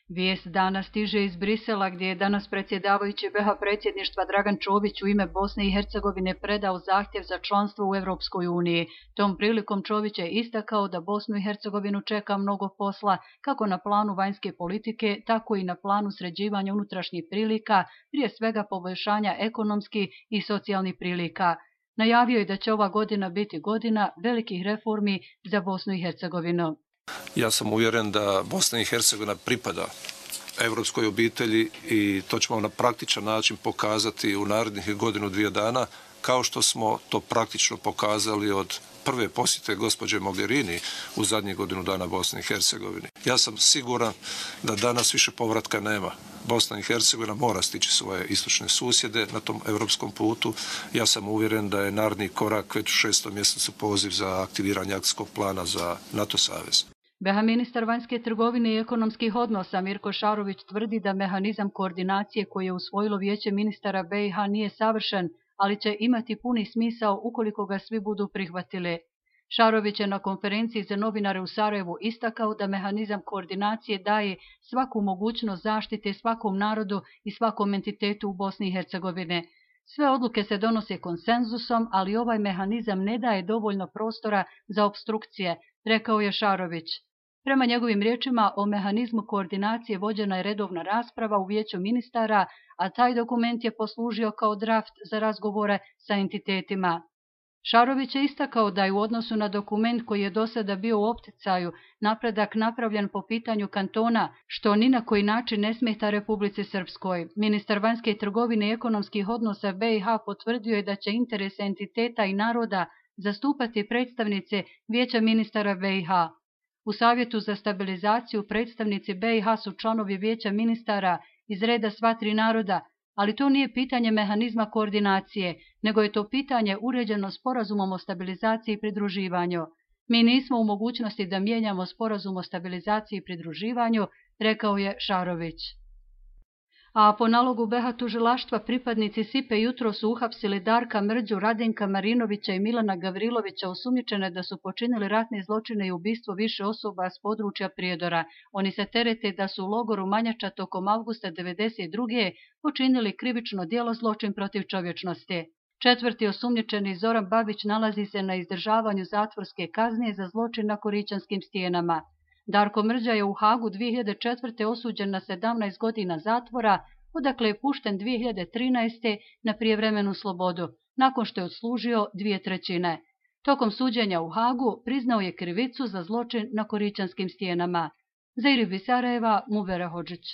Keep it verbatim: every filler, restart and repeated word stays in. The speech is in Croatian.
Vijest dana stiže iz Brisela, gdje je danas predsjedavajući be ha predsjedništva Dragan Čović u ime Bosne i Hercegovine predao zahtjev za članstvo u Europskoj uniji. Tom prilikom Čović je istakao da Bosnu i Hercegovinu čeka mnogo posla, kako na planu vanjske politike, tako i na planu sređivanja unutrašnjih prilika, prije svega poboljšanja ekonomskih i socijalnih prilika. Najavio je da će ova godina biti godina velikih reformi za Bosnu i Hercegovinu. Ja sam uvjeren da Bosna i Hercegovina pripada europskoj obitelji i to ćemo na praktičan način pokazati u narednih godinu dvije dana, kao što smo to praktično pokazali od prve posjete gospođe Mogherini u zadnjih godinu dana Bosni i Hercegovini. Ja sam siguran da danas više povratka nema. Bosna i Hercegovina mora stići svoje istočne susjede na tom europskom putu. Ja sam uvjeren da je naredni korak već u šestom mjesecu poziv za aktiviranje akcijskog plana za NATO savez. be ha ministar vanjske trgovine i ekonomskih odnosa Mirko Šarović tvrdi da mehanizam koordinacije koji je usvojilo Vijeće ministara be i ha nije savršen, ali će imati puni smisao ukoliko ga svi budu prihvatili. Šarović je na konferenciji za novinare u Sarajevu istakao da mehanizam koordinacije daje svaku mogućnost zaštite svakom narodu i svakom entitetu u Bosni i Hercegovine. Sve odluke se donose konsenzusom, ali ovaj mehanizam ne daje dovoljno prostora za opstrukcije, rekao je Šarović. Prema njegovim riječima, o mehanizmu koordinacije vođena je redovna rasprava u Vijeću ministara, a taj dokument je poslužio kao draft za razgovore sa entitetima. Šarović je istakao da je u odnosu na dokument koji je do sada bio u opticaju napredak napravljen po pitanju kantona, što ni na koji način ne smeta Republici Srpskoj. Ministar vanjske trgovine i ekonomskih odnosa be i ha potvrdio je da će interese entiteta i naroda zastupati predstavnice Vijeća ministara be i ha. U Savjetu za stabilizaciju predstavnici be i ha su članovi Vijeća ministara iz reda sva tri naroda, ali to nije pitanje mehanizma koordinacije, nego je to pitanje uređeno sporazumom o stabilizaciji i pridruživanju. Mi nismo u mogućnosti da mijenjamo sporazum o stabilizaciji i pridruživanju, rekao je Šarović. A po nalogu be ha tužilaštva pripadnici sipe jutro su uhapsili Darka Mrđu, Radenka Marinovića i Milana Gavrilovića, osumnjičene da su počinili ratne zločine i ubistvo više osoba s područja Prijedora. Oni se terete da su u logoru Manjača tokom avgusta devedeset druge počinili krivično djelo zločin protiv čovječnosti. Četvrti osumnjičeni Zoran Babić nalazi se na izdržavanju zatvorske kazne za zločin na Koričanskim stijenama. Darko Mrđa je u Hagu dvije hiljade četvrte osuđen na sedamnaest godina zatvora, odakle je pušten dvije hiljade trinaeste na prijevremenu slobodu, nakon što je odslužio dvije trećine. Tokom suđenja u Hagu priznao je krivicu za zločin na Koričanskim stijenama. Za Iribi Sarajeva, Muvera Hodžić.